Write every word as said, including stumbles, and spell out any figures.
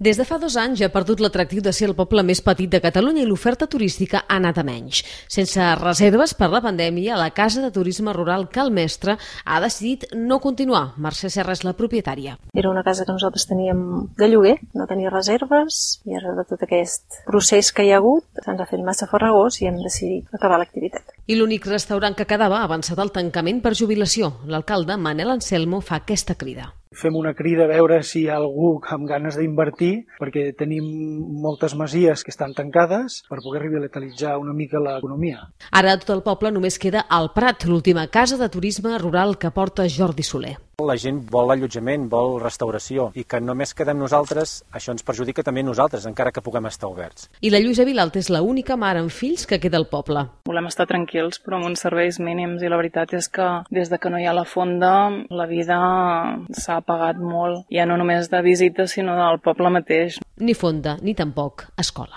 Des de fa dos anys ha perdut l'atractiu de ser el poble més petit de Catalunya i l'oferta turística ha anat a menys. Sense reserves per la pandèmia, la Casa de Turisme Rural Cal Mestre ha decidit no continuar. Mercè Serra és la propietària. Era una casa que nosaltres teníem de lloguer, no tenia reserves, i ara de tot aquest procés que hi ha hagut se'ns ha fet massa farragós i hem decidit acabar l'activitat. I l'únic restaurant que quedava ha avançat el tancament per jubilació. L'alcalde Manel Anselmo fa aquesta crida. Fem una crida a veure si hi ha algú amb ganes d'invertir, perquè tenim moltes masies que estan tancades per poder revitalitzar una mica l'economia. Ara a tot el poble només queda el Prat, l'última casa de turisme rural que porta Jordi Soler. La gent vol allotjament, vol restauració, i que només quedem nosaltres, això ens perjudica també a nosaltres, encara que puguem estar oberts. I la Lluïsa Vilalta és l'única mare amb fills que queda al poble. Volem estar tranquils, però amb uns serveis mínims, i la veritat és que des de que no hi ha la fonda, la vida s'ha apagat molt, ja no només de visites, sinó del poble mateix. Ni fonda, ni tampoc escola.